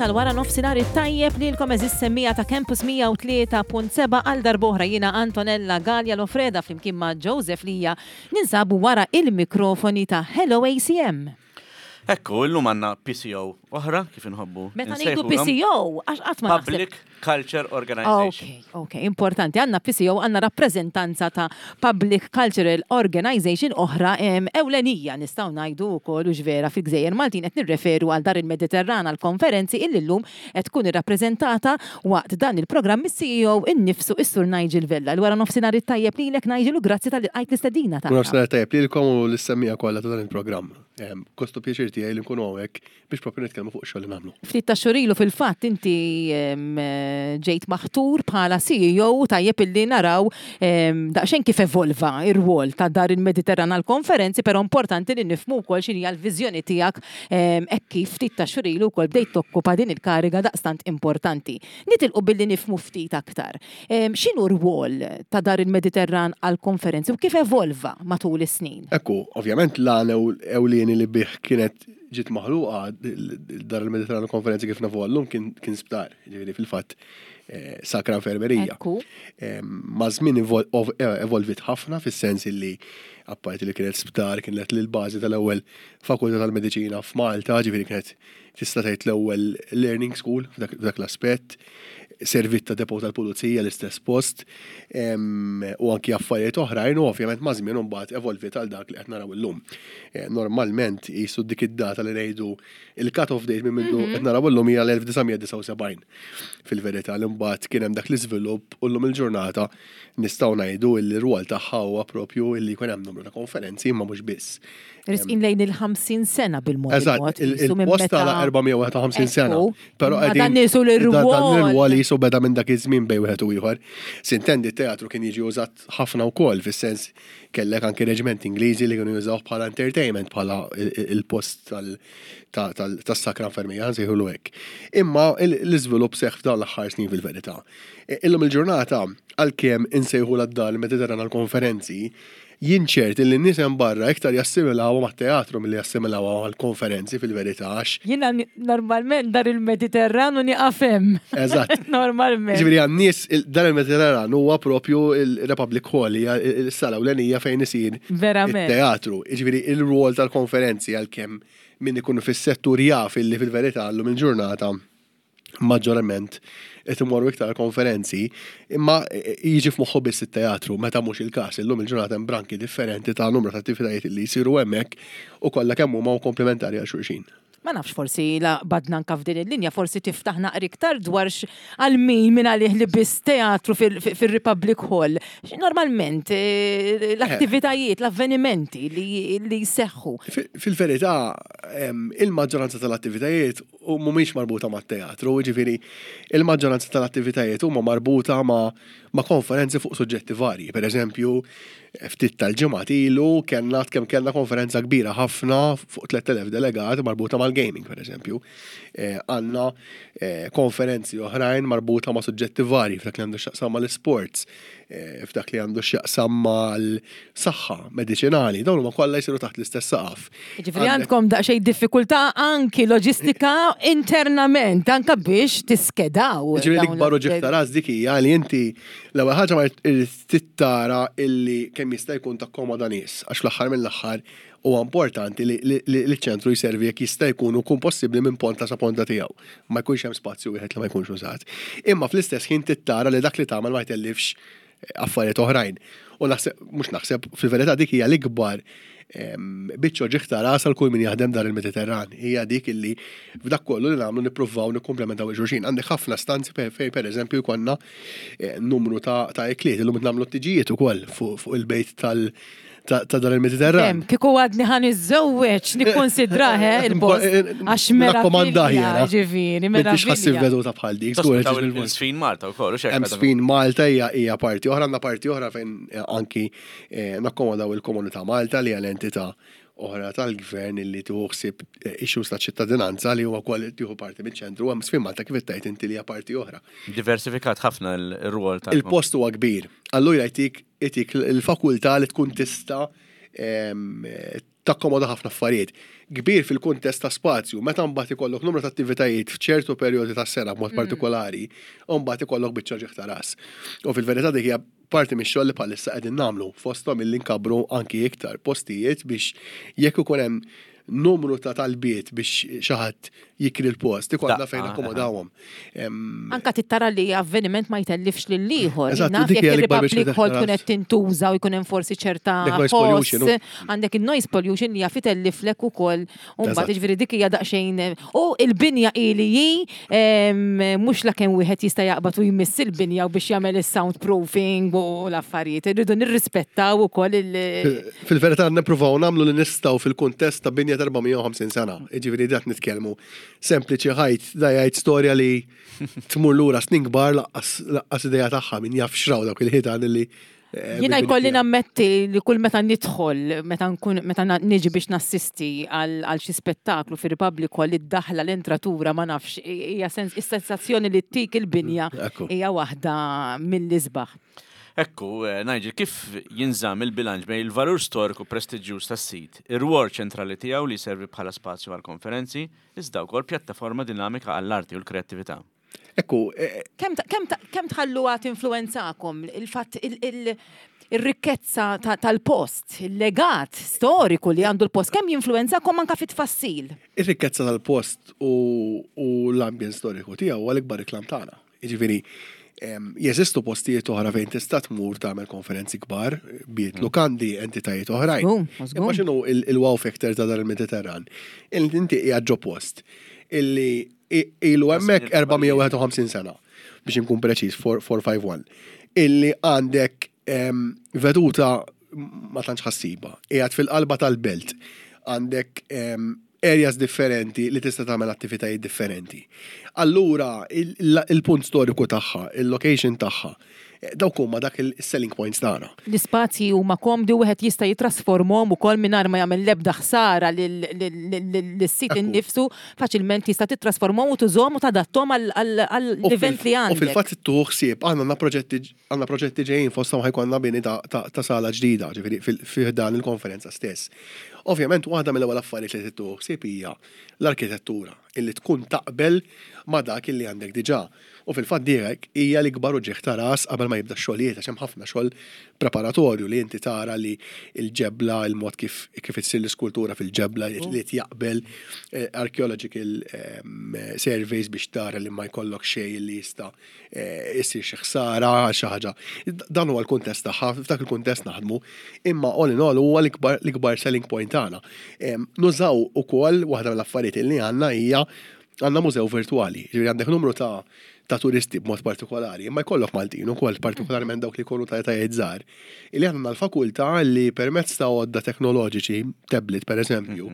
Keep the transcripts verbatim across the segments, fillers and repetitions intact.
Tal-wara nofsinhar it-tajjeb lilkom, għeżież semmiegħa ta' Campus mija u tlieta punt seba'. Għal darb'oħra jiena Antonella Gallia Lofreda flimkien ma' Joseph Lija ninsabu wara il-mikrofoni ta' Hello A C M. Ekku, illum għandna P C O oħra, kif inħobbu Meta ngħidu nsejħulhom. P C O, għax qatt ma naħseb. Public Culture Organization. Ok, ok, importanti. Għandna P C O, għandna rappreżentanza ta' Public Cultural Organization oħra em, ewlenija nistgħu ngħidu wkoll u vera fil-Gżejjer Maltin. Qed nirreferu għal Dar il-Mediterran għal konferenzi illi llum qed tkun irrappreżentata waqt dan il-programm mis-C E O innifsu, is-Sur Nigel Vella. L-wara nofsinhar it-tajjeb lilek, Nigel, u grazzi talli lqajt l-istedina U tagħna. Nofsinhar tajjeb lilkom u lis-semmiegħa kollha ta' dan il-programm. Em, Gost u pjaċir tiegħi li nkunu hawnhekk biex propju nitkellmu fuq xogħol li nagħmlu. Ftit ta' xhur ilu fil-fatt inti em, ġejt maħtur bħala C E O. Tajjeb illi naraw em, daqsxejn kif evolva ir-rwol ta' Dar il-Mediterran għal konferenzi, però importanti li nifhmu wkoll x'inhi l-viżjoni tiegħek em, hekk kif ftit ta' xhur ilu wkoll bdejt tokkupa din il-kariga daqstant importanti. Nitilqu billi nifhmu ftit aktar. Em, X'inhu r-rwol ta' Dar il-Mediterran għal konferenzi u kif evolva matul is-snin? Ekku, ovvjament l-għan ewlieni li bih kienet ġiet maħluqa Dar il-Mediterranu Konferenzi kif nafu għallum kien kien sptar, ġifieri fil-fatt eh, Sacra Infermerija. Ekku. Maż-żmien evol- ov- eh, evolvit ħafna fis-sens illi apparti li kienet sptar kienet l-bażi tal-ewwel fakultà tal-mediċina f'Malta, ġifieri kienet tista' tgħid l-ewwel learning school f'dak f'dak l-aspett, servit ta' depot tal-pulizija l-istess post, em, u anki affarijiet oħrajn, u ovvjament maż-żmien imbagħad evolvit għal dak li qed naraw illum. Eh, Normalment jisu dik id-data li ngħidu il-cut-off date minn mindu qed naraw illum hija l-elf disa' mija disgħa u sebgħin. Fil-verità li mbagħad kien hemm dak l-iżvilupp u llum il-ġurnata nistgħu ngħidu li r-rwol tagħha huwa propju illi jkun hemm numru ta' konferenzi, imma mhux biss. Resqin lejn il-ħamsin sena bil-mod Eżatt, il-mod. il- jisu minn il-post meta- għala erba' mija u wieħed u ħamsin sena. Ekku. Però Ma qegħdin- dan nisu Dan l-rwol. l-rwol jisu beda minn dak iż-żmien bejn wieħed u ieħor. Sintendi t-teatru kien jiġi użat ħafna wkoll, fis-sens kellek anki reġiment Ingliżi li kienu jużaw bħala entertainment, bħala il- il- il-post tal- ta- tal- tas-Sakra Infermija, nsejħulu hekk. Imma il- l-iżvilupp seħħ f'dawn l-aħħar snin fil-verità. E, Illum il-ġurnata, għalkemm insejħu lid-Dar il-Mediterran għal-konferenzi, jien ċert li n-nies hemm barra iktar jassimilawha mat-teatru milli jassimilawha għal-konferenzi fil-verità għax Jiena ni- normalment Dar il-Mediterran u nieqaf hemm. Eżatt. Normalment. Ġifieri għan-nies il- dan il-Mediterran huwa propju il-Republic Hall, hija il-sala ewlenija fejn isir Verament. il-teatru. Ġifieri il-rwol tal-konferenzi, għalkemm min ikunu fis-settur jaf illi fil-verità llum il-ġurnata maġġorament qed imorru iktar konferenzi, imma jiġi f'moħħu biss it-teatru, meta mhux il-każ. Illum il-ġurnata hemm branki differenti ta' numru ta' attivitajiet li jsiru hemmhekk u kollha kemm huma komplementari għal xulxin. Ma nafx, forsi la badna anka f'din il-linja, forsi tiftaħ naqra iktar dwar x- għal min min għalih li biss teatru fil- fil-Republic Hall. X- Normalment eh, l-attivitajiet, l-avvenimenti li, li jseħħu. Fi- Fil-verità, em, il-maġġoranza tal-attivitajiet u mhumiex marbuta mat-teatru, ġifieri il-maġġoranza tal-attivitajiet huma marbuta ma', ma' konferenzi fuq suġġetti varji. Per eżempju, ftit tal-ġimgħat ilu kellna kemm kellna konferenza kbira ħafna fuq tliet elef delegat marbuta mal-gaming, per eżempju. Eh, Għandna eh, konferenzi oħrajn marbuta ma' suġġetti varji f'dak li għandu x'jaqsam mal-sports, eh, f'dak li għandu x'jaqsam mal-saħħa mediċinali, dawn huma kollha jsiru taħt l-istess saqaf. Ġifieri għandkom daqsxejn diffikultà anki loġistika internament, anka biex tiskedaw. Ġifieri dawn l-ikbar l- uġigħ ta' ras dik hija li inti l-ewwel ħaġa ma trid tara illi kemm jista' jkun takkomoda nies, għax fl-aħħar mill-aħħar huwa importanti li li- li l-ċentru jservi jekk jista' jkun u jkun possibbli minn ponta sa ponta tiegħu. Ma jkunx hemm spazju wieħed li ma jkunx użat. Imma fl-istess ħin trid tara li dak li tagħmel ma jtellifx affarijiet oħrajn. U naħseb, mhux naħseb, fil-verità dik hija l-ikbar em, biċċa uġigħ ta' ras għal kull min jaħdem Dar il-Mediterran. Hija dik illi f'dak kollu li nagħmlu nippruvaw nikkumplementaw il-xulxin. Għandek ħafna stanzi fejn fejn per eżempju jkollna eh, numru ta' ta' ikliet, illum qed nagħmlu tiġijiet ukoll fuq fuq il-bejt tal ta' ta' Dar il-Mediterran. Em, kieku għadni ħa niżżewweġ, nikkonsidrah eh, il-post. Għax Nakkomandah meravilja, jiena. ġifieri, M'intix ħassib meravilja. veduta bħal dik, żgur Tospitaw qed bil-post. il-Żfin Malta wkoll, u xek. Hemm Żfin Malta hija hija parti oħra, għandna parti oħra fejn eh, anki eh, nakkomodaw il-Komunità Malta, li hija l-entità oħra tal-gvern illi tieħu ħsieb eh, issues ta' ċittadinanza, li huwa wkoll tieħu parti miċ-ċentru. Hemm Żfin Malta, kif tgħid inti, li hija parti oħra. Diversifikat ħafna il-rwol ta' Il-post huwa kbir. Allura jtik itik il-fakultà li tkun tista' em, Takkomoda ħafna affarijiet. Kbir fil-kuntest ta' spazju, meta mbagħad ikollok numru ta' attivitajiet f'ċertu perjodi ta' sena b'mod partikolari, u mbagħad ikollok biċċa uġigħ ta' ras. U fil-verità dik hija parti mix-xogħol li bħalissa qegħdin nagħmlu fosthom illi nkabbru anki iktar postijiet biex jekk ikun hemm numru ta' talbiet biex xi ħadd jikri l-post, ikollna Daqqa, fejn akkomodawhom. Em, Anka tittara li avveniment ma jtellifx lil ieħor. Eżatt, Naf dik jekk hija l-ikbar biċċa il-Republic Hall ta' tkun qed tintuża u jkun hemm forsi ċerta Dik noise pollution, ħoss, għandek il-noise pollution li jaf itelliflek ukoll. U mbagħad Eżatt. jiġifieri dik hija daqsxejn u il-binja ili hi em, mhux la kemm wieħed jista' jaqbad u jmiss il-binja u biex jagħmel is-soundproofing u l-affarijiet. Irridu nirrispettaw ukoll il- Fil-verità nippruvaw nagħmlu li nistgħu fil-kuntest ta' binja ta' erba' mija u ħamsin sena. Jiġifieri dat nitkellmu sempliċi ħajt, da jgħid storja li tmur lura snin kbar lanqas lanqas idea tagħha min jaf xraw dawk il-ħitan li eh, Jiena bil-bini jkolli fiha. nammetti li kull meta nidħol, meta nkun meta na- niġi biex nassisti għal għal xi spettaklu fi Republic Hall, id-daħla, l-entratura, ma nafx, hija sens is-sensazzjoni li tik il-binja Ekku. hija waħda mill-isbaħ. Ekku, eh, Nigel, kif jinżamm il-bilanċ bejn il-valur storiku prestiġjuż tas-sit, ir-rwol ċentrali tiegħu li servi bħala spazju għal konferenzi, iżda wkoll pjattaforma dinamika għall-arti u l-kreattività? Ekku, eh, Kemm ta- kemm ta- kemm tħalluha tinfluwenzakom il-fatt il- il- ir-rikkezza ta- tal-post, il-legat storiku li għandu l-post, kemm jinfluwenzakom anka fit-tfassil? Ir-rikkezza tal-post u, u l-ambjent storiku tiegħu huwa l-ikbar reklam tagħna. Jiġifieri em, jeżistu postijiet oħra fejn tista' tmur tagħmel konferenzi kbar, biet lukandi, entitajiet oħrajn. Żgur, żgur. Imma x'inhu il- il-wow factor ta' dar il-Mediterran? Il inti qiegħed ġo post illi i- ilu hemmhekk erba' mija u wieħed u ħamsin sena, biex inkun preċiż, erba' mija u ħamsa u disgħin, illi għandek em, veduta ma tantx ħassiba, qiegħed fil-qalba tal-belt, għandek em, areas differenti li tista' tagħmel attivitajiet differenti. Allura il- il- il-punt storiku tagħha, il-location tagħha, eh, dawk huma dak il-selling points tagħna. L-ispazji huma komdi u wieħed jista' jitrasformhom ukoll mingħajr ma jagħmel l-ebda ħsara lis-sit Ekku. innifsu, faċilment jista' titrasformhom u tużhom u tadattom U għall-event fil- li U għandek. fil-fatt tieħu ħsieb, għandna għandna proġetti għandna proġetti ġejjin, fosthom ħa jkollna bini ta', ta, ta' sala ġdida, ġifieri fil- fi dan il-konferenza stess. Ovvjament waħda mill-ewwel affarijiet li tieħu ħsieb hija l-arkitettura illi tkun taqbel ma' dak illi għandek diġà. U fil-fatt dik hija l-ikbar uġigħ ta' ras qabel ma jibda x-xogħlijiet, għax hemm ħafna xogħol preparatorju li inti tara li il-ġebla, il-mod kif kif issir l-iskultura fil-ġebla li jaqbel, eh, archaeological em, surveys biex tara li ma jkollok xejn li jista' eh, issir xi ħsara għal xi ħaġa. Dan huwa l-kuntest tagħha, f'dak il-kuntest naħdmu, imma all in all huwa l-ikbar l-ikbar selling point tagħna. Em, Nużaw ukoll waħda mill-affarijiet li għandna hija għandna mużew virtuali, ġifieri għandek numru ta' ta' turisti b'mod partikolari, imma jkollok Maltin ukoll, partikolarment dawk li jkunu ta' etajiet żgħar, illi għandna l-fakultà li permezz ta' għodda teknoloġiċi, tablet per eżempju,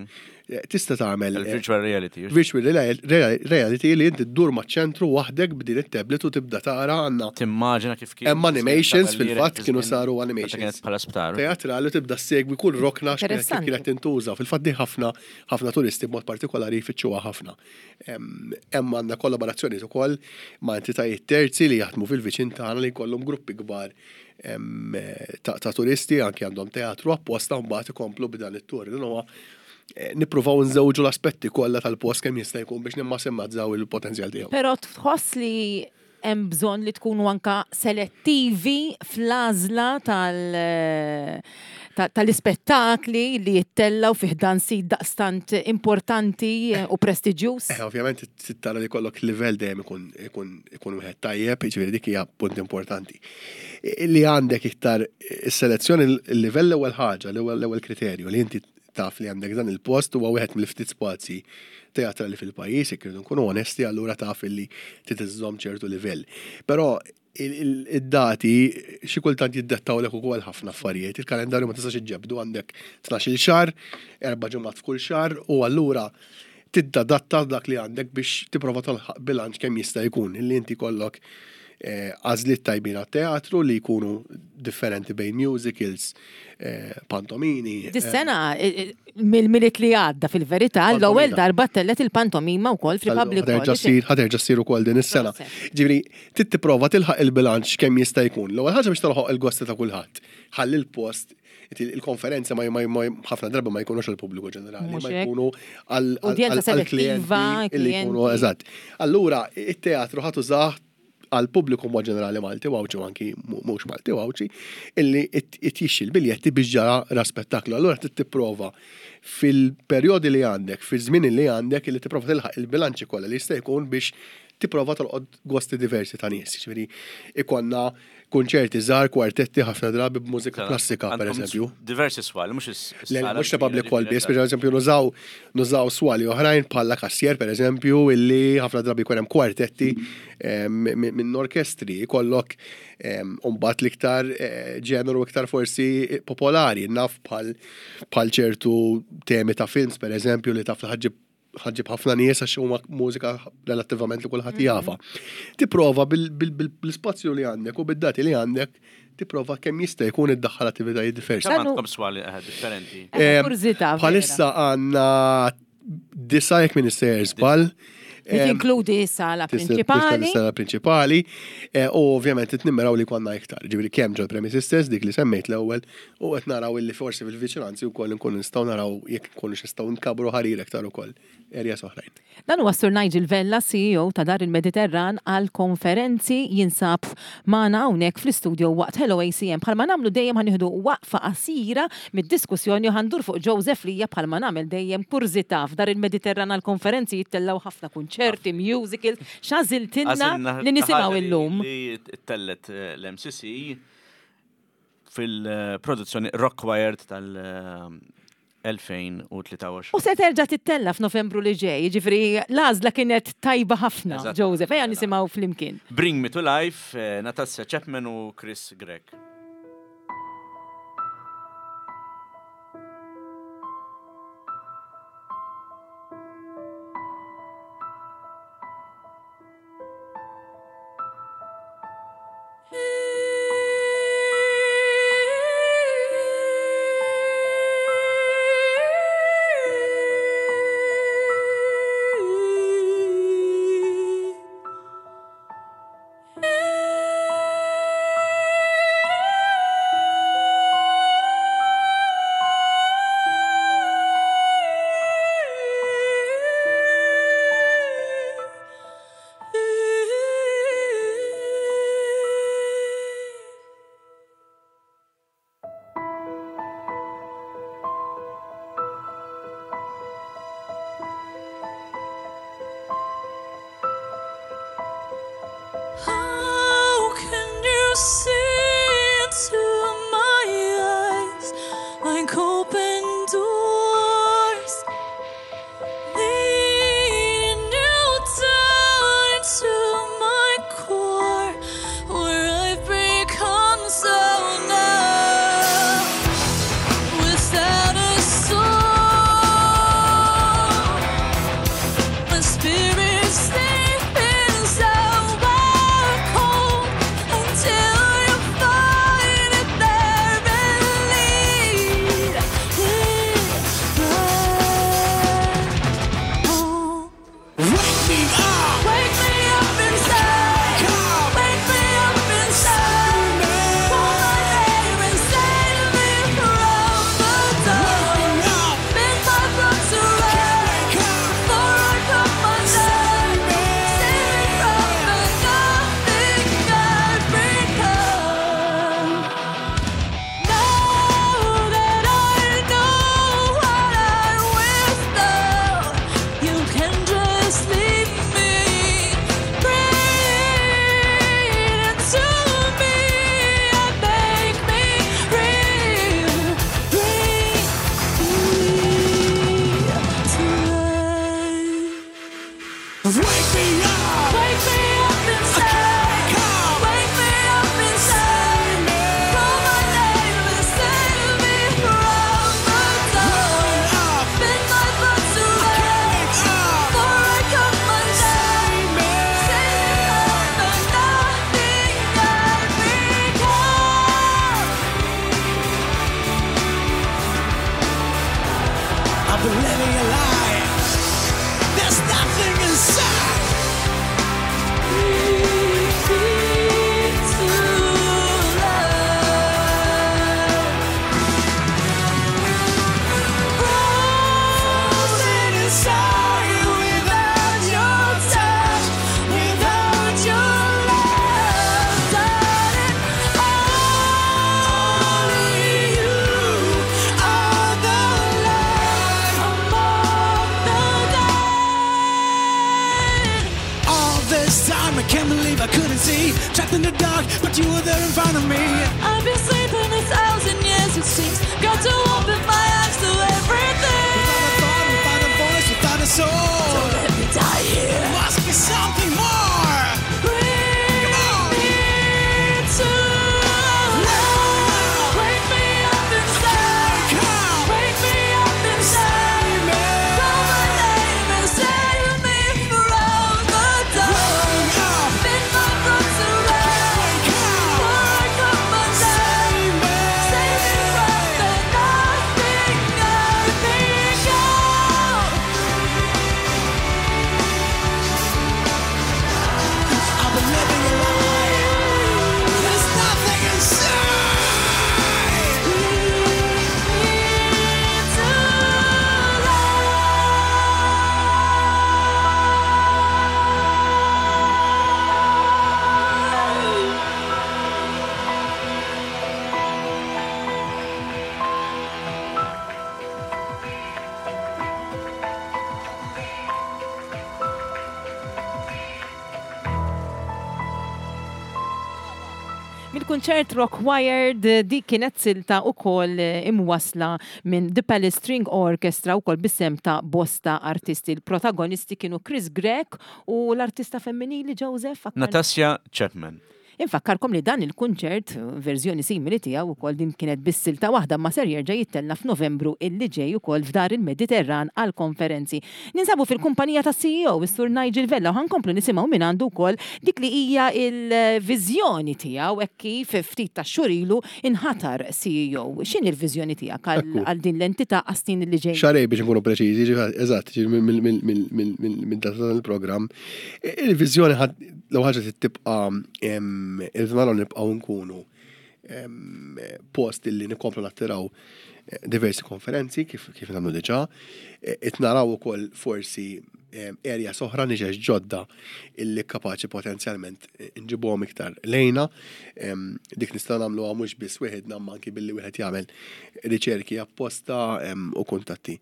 eh, tista' tagħmel eh, Il-virtual reality. Virtual real- real- reality li inti ddur maċ-ċentru waħdek b'din it-tablet u tibda tara għandna Timmaġina kif kien. Hemm animations, fil-fatt kienu saru animations. Kienet bħala sptar. Teatrali u tibda segwi kull rokna x'kienet kif Interessanti. kienet tintuża. Fil-fatt di ħafna ħafna turisti b'mod partikolari jfittxuha ħafna. Hemm hemm għandna kollaborazzjonijiet ukoll ma' entitajiet terzi li jaħdmu fil-viċin tagħna li jkollhom gruppi kbar em, ta' ta' turisti, anke għandhom teatru apposta, mbagħad ikomplu b'dan it-tur. Dan huwa eh, nippruvaw nżewġu l-aspetti kollha tal-post kemm jista' jkun biex nimmassimizzaw il-potenzjal tiegħu. Però tħoss li hemm bżonn li tkunu anka selettivi fl-għażla tal- ta- tal-ispettakli li jittellaw fi ħdan sit daqstant importanti u prestiġjuż? Eh, ovvjament tara li kollok livell dejjem ikun ikun ikun wieħed tajjeb, jiġifieri dik hija punt importanti. Li għandek iktar is-selezzjoni, il-livell l-ewwel ħaġa, l-ewwel l-ewwel kriterju li inti taf li għandek dan il-post huwa wieħed mill-ftit spazji teatrali fil-pajjiż, jekk irridu nkunu onesti, allura taf li trid iżżomm ċertu livell. Però id-dati xi kultant jiddettawlek ukoll ħafna affarijiet. Il-kalendarju ma tistax iġġebdu, għandek tnax-il xahar, erba' ġimgħat f'kull xahar, u allura tiddadatta dak li għandek biex tipprova tilħaq bilanċ kemm jista' jkun illi inti kollok eh, għażliet tajbin għat-teatru li jkunu differenti bejn musicals, eh, pantomini. Dis-sena, eh, mill-Milied li għadda fil-verità, l-ewwel darba tellet il-pantomima wkoll fil-Public Hall. Ħa terġa' ssir ukoll din is-sena. Ġifieri, trid tipprova tilħaq il-bilanċ kemm jista' jkun. L-ewwel ħaġa biex tilħaq il-gosti ta' kulħadd. Ħalli l-post il-konferenza ma ħafna drabi ma jkunux il-pubbliku ġenerali, ma jkunu għal-klijenti li jkunu eżatt. Allura, it-teatru ħa tużah għal pubbliku mod ġenerali Malti u Għawdxi u anki mhux Malti u Għawdxi illi jixtri l-biljetti biex ġara ra spettaklu. Allura trid tipprova fil-perjodi li għandek, fil-żmien li għandek, illi tipprova tilħaq il-bilanċi kollha li jista' jkun biex tipprova tolqod gosti diversi ta' nies. Ġifieri ikollna konċerti żgħar, kwartetti ħafna drabi b'mużika klassika, per eżempju. Diversi swali, mhux is-sala. Mhux Republic Hall biss, per eżempju nużaw nużaw swali oħrajn bħala Cassier, per eżempju, illi ħafna drabi jkun hemm kwartetti minn orkestri, jkollok mbagħad l-iktar ġeneru iktar forsi popolari, naf bħal bħal ċertu temi ta' films, per eżempju, li taf li ħa ġġib ħafna nies għax huma mużika relattivament li kulħadd jafha. Tipprova bil-spazju li għandek u bid-dati li għandek, tipprova kemm jista' jkun iddaħħal attivitajiet diversi. Kemm għandkom swali differenti? Bħalissa għandna disa jekk minn sejjer żball. Li tinkludi s-sala prinċipali. Sala prinċipali. U ovvjament qed nimmiraw li konna iktar. Ġifieri kemm ġol premises stess dik li semmejt l-ewwel u qed naraw illi forsi fil-viċinanzi wkoll nkunu nistgħu naraw jekk nkunu nistgħu nkabru ħarir iktar ukoll areas oħrajn. Dan huwa Sur Nigel Vella, C E O ta' Dar il-Mediterran għal konferenzi, jinsab magħna hawnhekk fl-istudio waqt Hello A C M. Bħalma nagħmlu dejjem, ħa nieħdu waqfa qasira mid-diskussjoni u ħa ndur fuq Joseph Lija. Bħalma nagħmel dejjem, kurżità, f'Dar il-Mediterran għal konferenzi jittellgħu ħafna kunċerti, musicals, x'għażiltilna li nisimgħu illum? Li tellet l-M C C fil-produzzjoni Rockwired tal- elfejn u tlieta u għoxrin. U se terġa' tittella f'Novembru li ġej, ġifieri l-għażla kienet tajba ħafna, Joseph, ejja nisimgħu flimkien. Bring Me to Life, eh, Natasha Chapman u Chris Gregg. How can you see into my eyes like open doors, leading you down into my core, where I've become so numb, without a soul? My spirit's sleeping so cold until you find it there and lead it. been living a lie. There's nothing inside. Bring me to life. Frozen inside without your touch, without your love, darling. Only you are the light Among the dead. All this time I can't believe I couldn't see, trapped in the dark, but you were there in front of me. I've been sleeping a thousand years, it seems. Got to open my eyes to everything. Without a thought, without a voice, without a soul. Don't let me die here. There must be something more. Bring Come on. me to life. Wake me up inside. Come. Wake me up inside. Save me. Call my name and save me from the dark. Wake up. Bend my roots around. Wake up. Before I come undone. Save me. Save me from the nothing I've become. I've been living a lie. There's nothing inside. Bring me to life. Mill-kunċert Rock Wired dik kienet silta ukoll imwasla minn The Palace String Orchestra ukoll bis-sehem ta' bosta artisti. Il-protagonisti kienu Chris Grech u l-artista femminili Joseph. Aktar- Natasja Chapman. Infakkarkom li dan il-kunċert, verżjoni simili tiegħu ukoll din kienet bis-silta waħda ma ser jerġa' jittella f'Novembru illi ġej ukoll f'Dar il-Mediterran għal konferenzi. Ninsabu fil-kumpanija ta' C E O, is-Sur Nigel Vella, u ħankomplu nisimgħu minn għandu wkoll dik li hija il-viżjoni tiegħu hekk kif ftit ta' xhur ilu inħatar C E O. X'inhi l-viżjoni tiegħek għal Ekku. għal din l-entità għas-snin li ġej? Xarej biex nkunu preċiżi, ġifieri, eżatt, ġifieri minn minn minn minn minn minn dan il-programm. Il-viżjoni l ħaġa tibqa' il-naraw nibqgħu nkunu em, post illi nikomplu nattiraw eh, diversi konferenzi kif kif nagħmlu diġà. Qed naraw ukoll forsi em, area oħra, niches ġodda illi kapaċi potenzjalment eh, nġibuhom iktar lejna. Em, Dik nistgħu nagħmluha mhux biss wieħed ma anki billi wieħed jagħmel riċerki apposta em, u kuntatti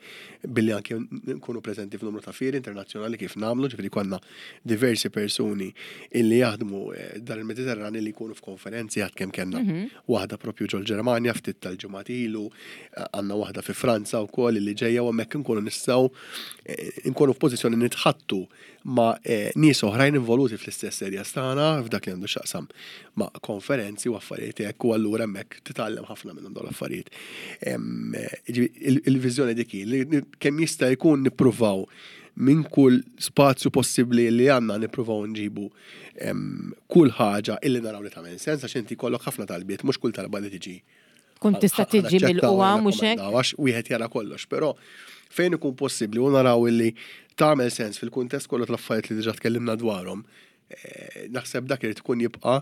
billi anki nkunu preżenti f'numru ta' fieri internazzjonali kif nagħmlu, ġifieri konna diversi persuni illi jaħdmu eh, Dar il-Mediterran illi jkunu f'konferenzi għad kemm kellna waħda propju ġol Ġermanja ftit tal-ġimgħat ilu, eh, għandna waħda fi Franza wkoll illi ġejja u hemmhekk nkunu nistgħu eh, nkunu f'pożizzjoni nitħattu ma' eh, nies oħrajn involuti fl-istess area tagħna f'dak li għandu x'jaqsam ma' konferenzi u affarijiet hekk u allura hemmhekk titgħallem ħafna minnhom dawn l-affarijiet. Em, eh, ġifieri, il- Il-viżjoni dik hi, li kemm jista' jkun nippruvaw minn kull spazju possibbli li għandna nippruvaw nġibu em, kull ħaġa illi naraw li tagħmel sens għax inti kollok ħafna talbiet, mhux kull talba li tiġi Kun tista' tiġi mill-qwa mhux hekk? għax wieħed jara kollox, però fejn ikun possibbli u naraw illi tagħmel sens fil-kuntest kollu tal-affarijiet li diġà tkellimna dwarhom, eh, naħseb dak irid ikun jibqa'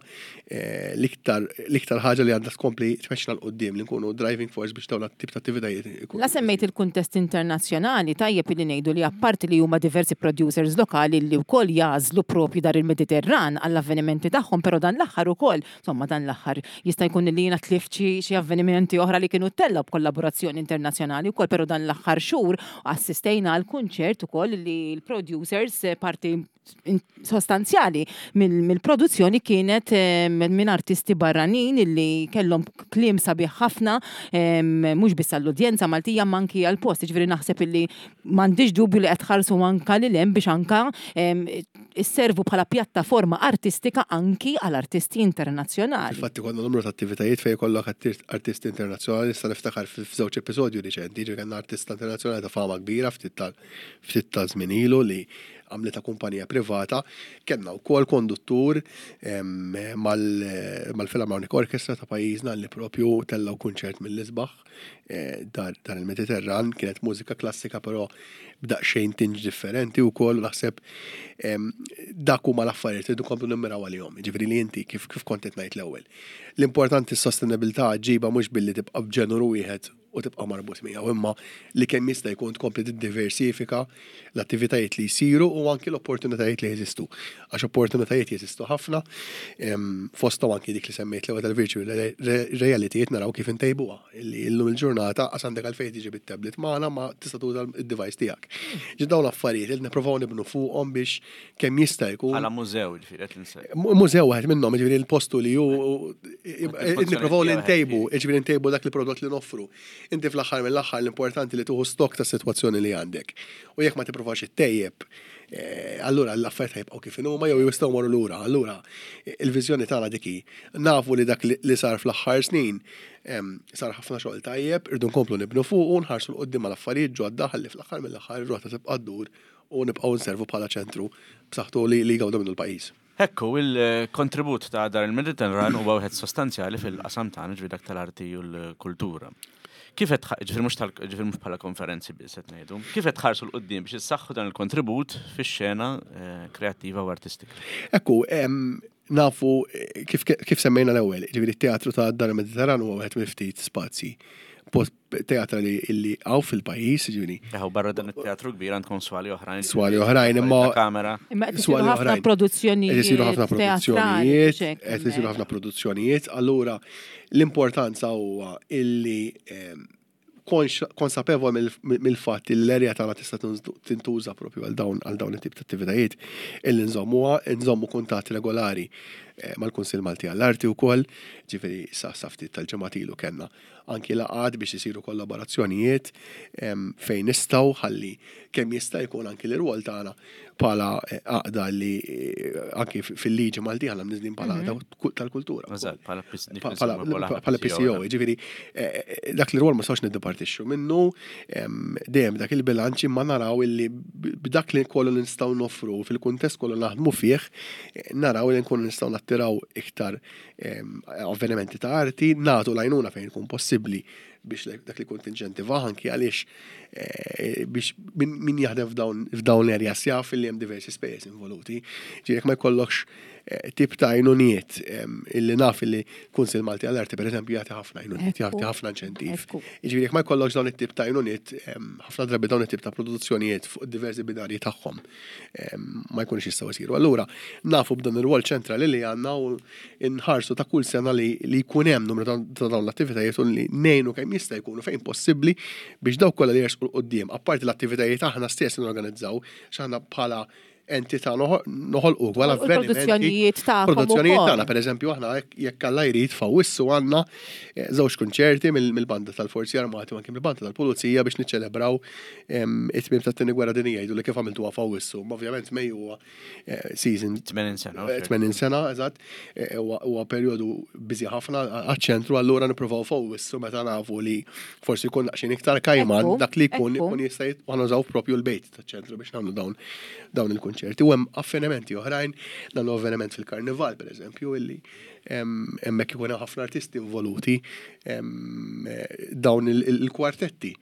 eh, l-iktar l-iktar ħaġa li għandha tkompli tmexxina 'l quddiem li nkunu driving force biex dawn tip ta' attivitajiet ikunu. La semmejt il-kuntest internazzjonali, tajjeb li ngħidu li apparti li huma diversi producers lokali li wkoll jagħżlu propju Dar il-Mediterran għall-avvenimenti tagħhom, però dan l-aħħar ukoll, insomma dan l-aħħar jista' jkun li jiena tlift xi xi avvenimenti oħra li kienu ttellgħu b'kollaborazzjoni internazzjonali wkoll, però dan l-aħħar xhur assistejna għal kunċert ukoll li l-producers eh, parti in- sostanzjali mill- mill-produzzjoni kienet eh, minn artisti barranin illi kellhom kliem sabiħ ħafna em, mhux biss għall-udjenza Maltija ma anki għall-post, ġifieri naħseb illi m'għandix dubju li qed tħarsu anka lil hemm biex anka em, isservu bħala pjattaforma artistika anki għal artisti internazzjonali. Infatti konna numru ta' attivitajiet fejn kollok artisti internazzjonali, issa niftakar f'żewġ episodju riċenti, ġi kellna artista internazzjonali ta' fama kbira ftit tal ftit ta' żmien ilu li għamlita kumpanija privata, kellna wkoll konduttur em, mal- mal-Philharmonic Orchestra ta' pajjiżna li propju tellaw kunċert mill-isbaħ eh, dar, dar il-Mediterran, kienet mużika klassika però b'daqsxejn tinge differenti wkoll u naħseb em, dak huma l-affarijiet li nkomplu nimmiraw għalihom. Ġifieri li inti kif kif kont qed ngħid l-ewwel. L-importanti s-sostenibilità ġiba mhux billi tibqa' b'ġeneru wieħed u tibqa' marbut miegħu, imma li kemm jista' jkun tkompli tiddiversifika l-attivitajiet li jsiru u anki l-opportunitajiet li jeżistu. Għax opportunitajiet jeżistu ħafna, em, fosthom anki dik li semmejt l-ewwel tal-virtual re- reality naraw kif intejbuha. Illi illum il-ġurnata qas għandek għalfejn tiġi bit-tablet magħna ma tista' tuża id-device tiegħek. Ġi dawn l-affarijiet li nippruvaw nibnu fuqhom biex kemm jista' jkun Bħala mużew, ġifieri, qed nse- Mu- Mużew waħed minnhom, ġifieri l-postu li ju nipprovaw li ntejbu, ġifieri ntejbu dak li prodott li noffru. Inti fl-aħħar mill-aħħar l-importanti li tuħu stok ta' sitwazzjoni li għandek. U jekk ma tipprovax ittejjeb, eh, allura l-affarijiet ħa jibqgħu kif huma jew jistgħu morru lura. Allura il-viżjoni tagħna dik hi. Nafu li dak li li sar fl-aħħar snin em, sar ħafna xogħol tajjeb, irdu nkomplu nibnu fuq u nħarsu 'l quddiem mal affarijiet ġodda ħalli fl-aħħar mill-aħħar ir-rota tibqa' ddur u nibqgħu nservu bħala ċentru b'saħħtu li li jgawdu minnu l-pajjiż. Ekku, il-kontribut ta' dar il-Mediterran huwa wieħed sostanzjali fil-qasam tagħna ġifieri dak tal-arti u l-kultura. Kif qed tħ- ġifieri mhux tal ġifieri mhux bħala konferenzi biss qed ngħidu, kif qed tħarsu 'l quddiem biex issaħħu dan il-kontribut fix-xena eh, kreattiva u artistika? Ekku, em, nafu eh, kif, kif semmejna l-ewwel, ġifieri t-teatru ta' Dar il-Mediterran huwa wieħed mill-ftit spazji post teatra li illi hawn fil-pajjiż, ġifieri. Eħu barra dan it-teatru kbir għandkom swali oħrajn. Swali oħrajn, imma- Ta' kamera. Imma qed Swali isiru ħafna oħrajn. produzzjonijiet. Qed isiru ħafna teatrali, produzzjonijiet, xek, qed isiru ħafna produzzjonijiet, allura l-importanza huwa illi em, konx- konsapevol mill- mill-fatt li l-erja tagħna tista' tintuża propju għal dawn għal dawn it-tip ta' attivitajiet illi nżommuha, nżommu kuntatt regolari eh, mal-Kunsill Malti għall-Arti wkoll, ġifieri sa sa ftit tal-ġimgħat ilu kellna anki laqgħat biex isiru kollaborazzjonijiet em, fejn nistgħu ħalli kemm jista' jkun anki l-irwol tagħna bħala eh, għaqda li eh, anki fil-liġi Malti aħna mniżlin bħala għaqda ku- tal-kultura. Eżatt, bħala P- Pa- Bħala bħala P C O, ġifieri, eh, eh, dak li rwol ma sawx niddepartixxu minnu, em, dejjem dak il-bilanċ imma naraw illi b- b'dak li kollu li nistgħu noffru fil-kuntest kollu naħdmu fih, eh, naraw li nkunu nistgħu nattiraw iktar em, avvenimenti ta' arti, nagħtu l-għajnuna fejn ikun possibbli biex le- dak li kun tinċentiva anki għaliex eh, biex min min jaħdem f'dawn f'dawn l-areas jaf li hemm diversi spejjeż involuti. Ġifieri jekk ma jkollokx eh, tip ta' għajnuniet em, illi naf illi Kunsill Malti għall-Arti pereżempju jagħti ħafna għajnuniet, Ekku. jagħti ħafna inċentiv. Ekku. Ġifieri jekk ma jkollokx dawn it-tip ta' għajnuniet, em, ħafna drabi dawn it-tip ta' produzzjonijiet fuq diversi binarji tagħhom em, ma jkunux jistgħu jsiru. Allura nafu b'dan ir-rwol ċentrali li għandna u nħarsu ta' kull sena li li jkun hemm numru ta' ta' dawn l-attivitajiet u li ngħinu kemm jista' jkunu fejn possibbli biex dawk kollha li jersqu 'l quddiem, apparti l-attivitajiet aħna stess norganizzaw, x'aħna bħala entità noħolqu wkoll U l-produzzjonijiet tagħkom Produzzjonijiet ukoll. tagħna, pereżempju aħna jekk- jekk Alla jrid f'Awwissu għandna eh, żewġ kunċerti mill- mill-banda tal-Forzi Armati u anke mill-banda tal-Pulizija biex niċċelebraw em, it-tmiem tat-tieni gwerra dinjija jgħidu li kif għamiltuha f'Awwissu. Ma ovvjament Mejju huwa eh, season tmenin sena. Eh, tmenin sena, eżatt, eh, huwa huwa perjodu busy ħafna għaċ-ċentru, allura nippruvaw f'Awwissu meta nafu li forsi jkun daqsxejn iktar kajman Ekku, dak li jkun ekku. ikun jista' jit- u nużaw propju l-bejt taċ-ċentru biex nagħmlu dawn dawn il-kunċerti. U hemm avvenimenti oħrajn, nagħmlu avveniment fil-karnival pereżempju illi em, hemmhekk ikun hemm ħafna artisti involuti em, eh, dawn il- il- il-kwartetti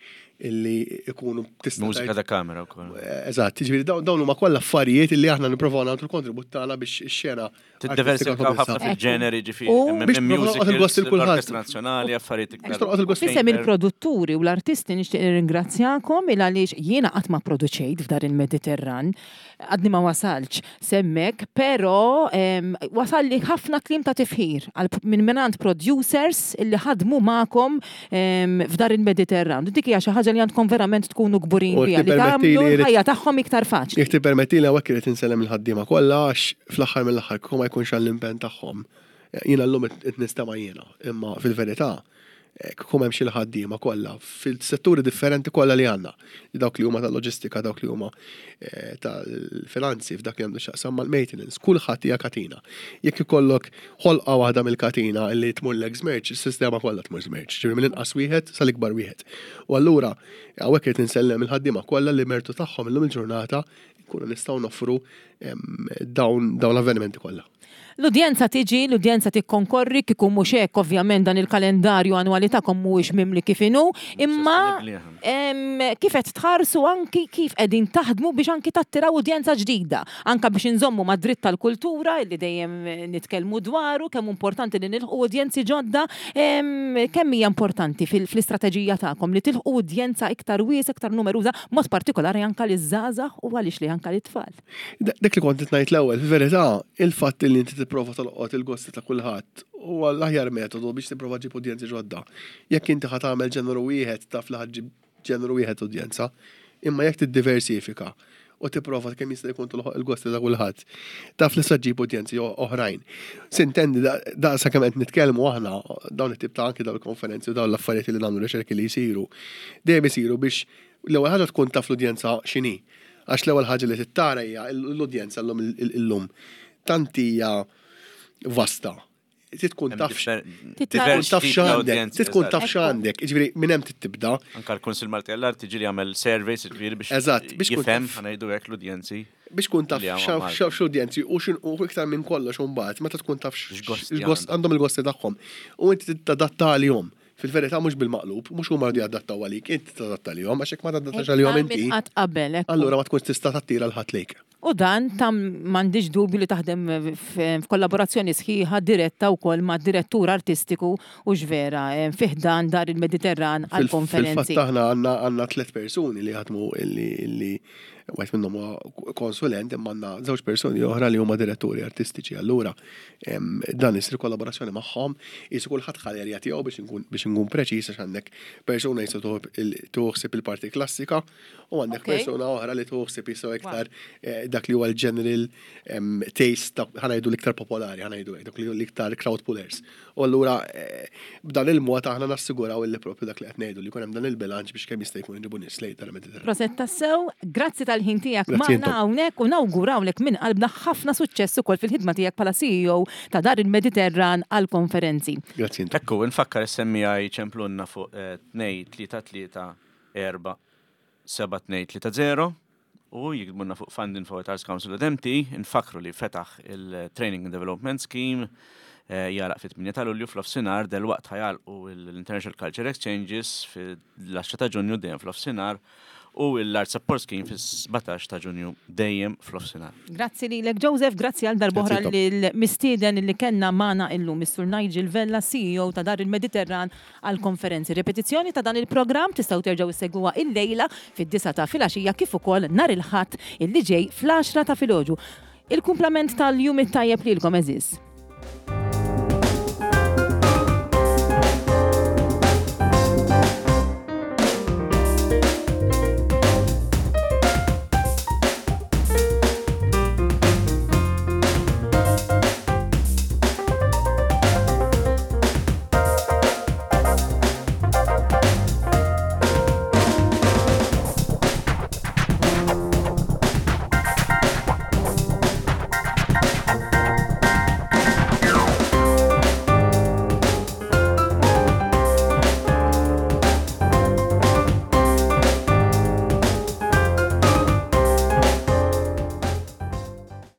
illi ikunu tista' Mużika tgħid- ta' kamera wkoll. Eh, Eżatt, ġifieri dawn dawn huma kollha affarijiet illi aħna nippruvaw nagħtu l-kontribut tagħna biex ix-xena Tiddiversifikaw ħafna Ekku. fil-ġeneri ġifieri. U- hemm- Biex hemm nolqot il-gost musicals, il kulħadd. l-Orkestra Nazzjonali, affarijiet iktar. Biex tolqot il-gost. Fisem il-produtturi u l-artisti nixtieq nirringrazzjakom il għaliex jiena qatt ma produċejt f'dar il-Mediterran, għadni ma wasalx s'hemmhekk, però em, wasal li ħafna kliem ta' tifħir għal minn minant producers illi ħadmu magħkom em, f'dar il-Mediterran. Dik hija xi ħaġa li għandkom verament tkunu kburin U biha li tippermetti tagħmlu li- l-ħajja tagħhom iktar faċli. Jekk tippermetti li hawnhekk irid insellem il-ħaddiema kollha għax fl-aħħar mill-aħħar kieku ma jkunx għall-impenn tagħhom. Jiena llum qed nistema' jiena, imma fil-verità eh, kieku m'hemmx il-ħaddiema kollha fil-setturi differenti kollha li għandna. Dawk li huma tal-loġistika, dawk li huma eh, tal-finanzi, f'dak li għandu x'jaqsam mal-maintenance, kulħadd hija katina. Jekk ikollok ħolqa waħda mill-katina li tmurlek żmerċ, is-sistema kollha tmur żmerċ, ġifieri mill-inqas wieħed sal-ikbar wieħed. U allura hawnhekk irid insellem il-ħaddiema kollha li mertu tagħhom illum il-ġurnata nkunu nistgħu noffru em, dawn dawn l-avvenimenti kollha. L-udjenza tiġi, l-udjenza tikkonkorri, kieku mhux hekk, ovvjament, dan il-kalendarju annwali tagħkom mhuwiex mimli kif inhu, imma Sostenibbli, aha. em, kif qed tħarsu anki kif qegħdin taħdmu biex anki tattiraw udjenza ġdida, anka biex inżommu ma' dritt tal-kultura illi dejjem nitkellmu dwaru, kemm importanti li nilħqu udjenzi ġodda, em, kemm hija importanti fil- fl-istrateġija tagħkom li tilħqu udjenza iktar wiesa, iktar numeruża, mod partikolari anka liż-żgħażagħ u għaliex li anka lit-tfal? Da- Dak li kont qed ngħid l-ewwel, fil-verità, il-fatt li inti tipprova tolqot il-gosti ta' kulħadd huwa l-aħjar metodu biex tipprova ġib udjenzi ġodda. Jekk inti ħa tagħmel ġeneru wieħed, taf li ħa ġġib ġeneru wieħed udjenza, imma jekk tiddiversifika u tipprova kemm jista' jkun tolħoq il-gosti ta' kulħadd, taf li sa ġġib udjenzi o- oħrajn. S'intendi, da sa kemm qed nitkellmu aħna, dawn it-tip ta' anki dawn il-konferenzi u dawn l-affarijiet li nagħmlu, riċerki li jsiru, dejjem isiru biex l-ewwel ħaġa tkun taf l-udjenza x'inhi. Għax l-ewwel ħaġa li tittara hija l-udjenza llum illum tant hija vasta. Trid tkun taf tkun taf x'għandek, trid tkun taf x'għandek, jiġifieri minn hemm tibda. Anka l-Kunsil Malti għall-Arti ġieli jagħmel surveys, ġifieri biex Eżatt, biex tkun jifhem taf. ħa ngħidu hekk l-udjenzi. Biex tkun taf Li hawn Malta. x'udjenzi u xin u iktar minn kollox imbagħad meta tkun taf X'gosti x'gost għandhom. Għandhom il-gosti tagħhom. U inti tadatta għalihom. Fil-verità mhux bil-maqlub, mhux huma jridu jadattaw għalik, inti tadatta għalihom, għax jekk ma tadattax għalihom inti, Minn qatt qabel, ekku. allura ma tkunx tista' tattira 'l ħadd lejk. U dan tam m'għandix dubju li taħdem f- f'kollaborazzjoni sħiħa diretta wkoll ma' direttur artistiku u ġvera eh, fi ħdan Dar il-Mediterran Fil- għal-konferenzi. Fil-fatt aħna għandna għandna tliet persuni li jaħdmu illi illi wieħed minnhom huwa konsulent, imma għandna żewġ persuni oħra li huma diretturi artistiċi. Allura em, dan isir kollaborazzjoni magħhom, jisu kulħadd ħa l-erja tiegħu, biex inkun biex inkun preċiż, għax għandek persuna jisu tuħsib il-parti klassika u għandek Ok. persuna oħra li tuħsib jisu iktar eh, dak li huwa l-general em, taste ta' ħa ngħidu l-iktar popolari, ħa ngħidu hekk, dak li l-iktar crowd pullers. U allura eh, b'dan il-mod aħna nassiguraw illi propju dak li qed ngħidu, li jkun hemm dan il-bilanċ biex kemm jista' jkun inġibu nies lejn tal-Mediterran. Prosit tassew, grazzi tal-ħin tiegħek Grazzi magħna intom. hawnhekk u nawgurawlek minn qalbna ħafna suċċess ukoll fil-ħidma tiegħek bħala C E O ta' Dar il-Mediterran għal-konferenzi. Grazzi intom. Ekku, nfakkar S M I ċemplunna fuq tnejn tlieta tlieta erba' seba' tnejn tlieta żero u jiktbulna fuq fundinfo at arts council dot M T. Nfakru li fetaħ il-Training and Development Scheme, eh, jagħlaq fit-tmienja ta' Lulju fl-offsinar, delwaqt ħa jagħlqu l-International Culture Exchanges fil-għaxra ta' Ġunju dejjem fl-offsinar u l-Art Support Scheme fis-sbatax ta' Ġunju dejjem fl-offsinar. Grazzi lilek, Joseph, grazzi għal darb'oħra Grazzi intom. lill-mistieden li kellna magħna illum, Mister Nigel Vella, C E O ta' Dar il-Mediterran għal konferenzi. Repetizzjoni ta' dan il-programm tistgħu terġgħu issegwuha illejla fid-disgħa ta' filgħaxija kif ukoll nhar il-Ħadd illi ġej fl-għaxra ta' filgħodu. Il-kumplament tal-jum it-tajjeb lilkom, għeżież.